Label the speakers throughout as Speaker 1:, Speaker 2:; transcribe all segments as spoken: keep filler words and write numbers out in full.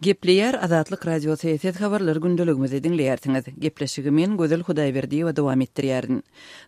Speaker 1: Gepleýär Azatlyk Radiosy, siz habarlar gündeligimizi diňleýärsiňiz. Gepleşigi men Gözel Hudaýberdiýewa dowam etdirýärin.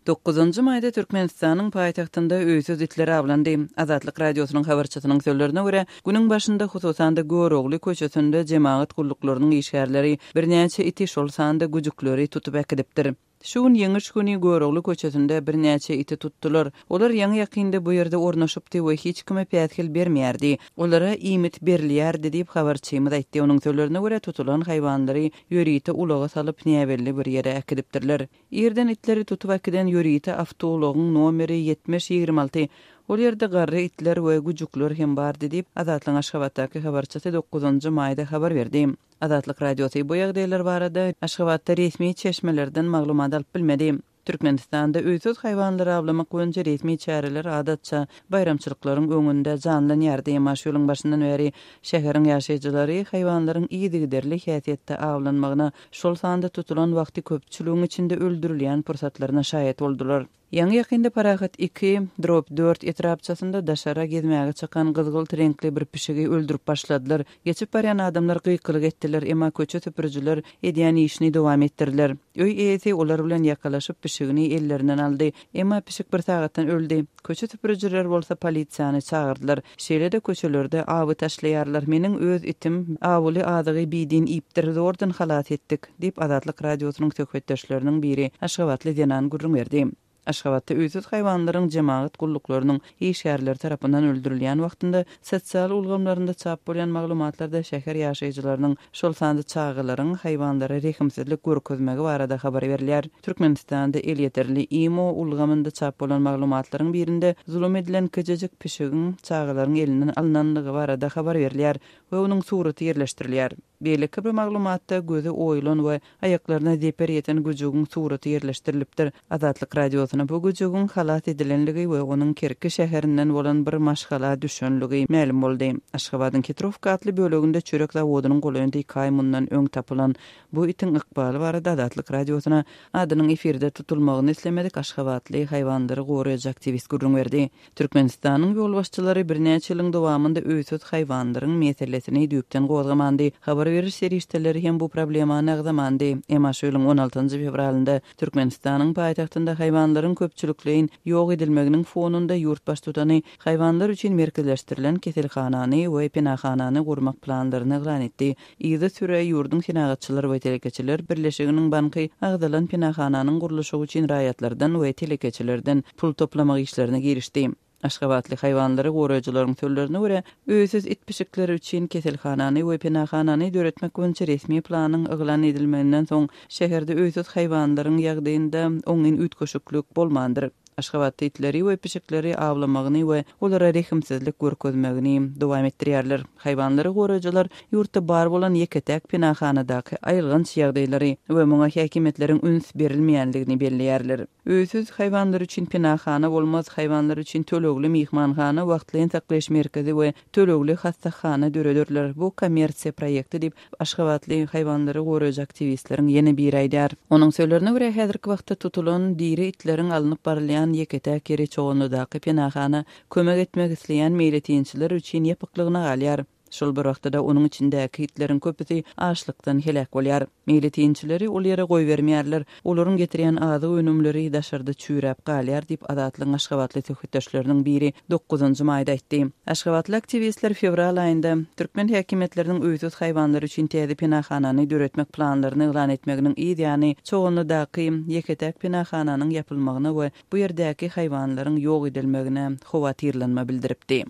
Speaker 1: Dokuzynjy maýda Türkmenistanyň paýtagtynda öýsüz itler awlandy. Azatlyk Radiosynyň habarçysynyň sözlerine görä, günüň başynda hususan-da Görogly köçesinde jemagat gulluklarynyň işgärleri birnäçe iti, şol sanda güjükleri tutup äkidipdir. Şu gün Ýeňiş güni Görogly köçesinde birnäçe iti tutdular. Olar ýaňy-ýakynda bu ýerde ornaşypdy we hiç kime päsgel bermeýärdi. Olara iýmit berilýärdi diýip, habarçymyz aýtdy. Onuň sözlerine görä, tutulan haýwanlary ýörite ulaga salyp, näbelli bir ýere äkidipdirler. Irden itleri tutup äkiden ýörite awtoulagyň nomeri ýetmiş ýigrimi alty. Ol ýerde garry itler we güjükler hem bardy diýip, Azatlygyň Aşgabatdaky habarçysy dokuzynjy maýda habar berdi. Azatlyk Radiosy bu ýagdaýlar barada Aşgabatda resmi çeşmelerden maglumat alyp bilmedi. Türkmenistanda öýsüz haýwanlary awlamak boýunça resmi çäreler adatça baýramçylyklaryň öňünde janlanýardy, emma şu ýylyň başyndan bäri şäheriň ýaşaýjylary haýwanlaryň yzygiderli häsiýetde awlanmagyna, şol sanda tutulan wagty köpçüligiň içinde öldürilýän pursatlaryna şaýat boldular. Ýaňy-ýakynda Parahat iki, drop dört etrapçasynda daşara gezmäge çykan gyzgylt reňkli bir pişigi öldürip başladylar. Geçip barýan adamlar gykylyk etdiler, emma köçe süpürijiler edýän işini dowam etdirdiler. Öý eýesi olar bilen ýakalaşyp pişigini ellerinden aldy. Emma pişik bir sagatdan öldi. Köçe süpürijiler bolsa polisiýany çagyrdylar. Şeýle-de köçelerde awy taşlaýarlar. Meniň öz itim awuly azygy bidin iýipdir, zordan halas etdik, diýip, Azatlyk Radiosynyň söhbetdeşleriniň biri, aşgabatly zenan gürrüň berdi. Aşgabatda öýsüz haýwanlaryň jemagat gulluklarynyň işgärleri tarapyndan öldürilýän wagtynda sosial ulgamlarynda çap bolýan maglumatlarda şäher ýaşaýjylarynyň, şol sanda çagalaryň haýwanlara rehimsizlik görkezmegi barada habar berilýär. Türkmenistanda elýeterli imo ulgamynda çap bolan maglumatlaryň birinde zulum edilen kiçijik pişigiň çagalaryň elinden alnanlygy barada habar berilýär we onuň suraty ýerleşdirilýär. Beýleki bir maglumatda gözi oýulan we aýaklaryna zeper ýeten güjügiň suraty ýerleşdirilipdir. Azatlyk Radiosyna bu güjügiň halas edilenligi we onuň Kerki şäherinden bolan bir maşgala düşenligi mälim boldy. Aşgabadyň Hitrowka atly böleginde çörek zawodynyň golaýynda iki aý mundan öň tapylan bu itiň ykbaly barada Azatlyk Radiosyna adynyň efirde tutulmagyny islemedik aşgabatly haýwanlary goraýjy aktiwist gürrüň berdi. Türkmenistanyň ýolbaşçylary birnäçe ýylyň dowamynda öýsüz haýwanlaryň meselesini düýpden gozgamandy. Habar beriş serişdeleri hem bu problemany agzamandy. Emma şu ýylyň on altynjy fewralynda Türkmenistanyň paýtagtynda haýwanlaryň köpçülikleýin ýok edilmeginiň fonunda ýurt baştutany haýwanlar üçin merkezleşdirilen keselhanany we penahanany gurmak planlaryny yglan etdi. Yzy süre ýurduň Senagatçylar we telekeçiler birleşiginiň banky agzalan penahananyň gurluşygy üçin raýatlardan we telekeçilerden pul toplamak işlerine girişdi. Aşgabatly haýwanlary goraýjylaryň sözlerine görä, öýsüz it pişikleri üçin keselhanany we penahanany döretmek boýunça resmi planyň yglan edilmeginden soň şäherde öýsüz haýwanlaryň ýagdaýynda oňyn üýtgeşiklik bolmandyr. Aşgabatda itleri we pişikleri awlamagyny we olara rehimsizlik görkezmegini dowam etdirýärler. Haýwanlary goraýjylar ýurtda bar bolan ýeke-täk penahanadaky aýylganç ýagdaýlary we muňa häkimiýetleriň üns berilmeýänligini belleýärler. Öýsüz haýwanlar üçin penahana bolmaz, haýwanlar üçin tölegli myhmanhana, wagtlaýyn saklaýyş merkezi we tölegli hassahana dörederler. Bu kommersiýa proýekti diýip, aşgabatly haýwanlary goraýjy aktiwistleriň ýene biri aýdýar. Onuň sözlerine görä, häzirki wagtda tutulan diri itleriň alnyp barylýan ýeke-täk ýeri Çoganlydaky penahana kömek etmek isleýän meýletinçiler üçin ýapyklygyna galýar. Şol bir wagtda-da onuň içindäki itleriň köpüsi açlykdan heläk bolýar. Meýletinçileri ol ýere goýbermeýärler. Olaryň getirýän azyk önümleri daşarda çüýräp galýar diýip, Azatlygyň aşgabatly söhbetdeşleriniň biri dokuzynjy maýda aýtdy. Aşgabatly aktiwistler fewral aýynda türkmen häkimiýetleriniň öýsüz haýwanlar üçin täze penahanany döretmek planlaryny yglan etmeginiň yz ýany Çoganlydaky ýeke-täk penahananyň ýapylmagyna we bu ýerdäki haýwanlaryň ýok edilmegine howatyrlanma bildiripdi.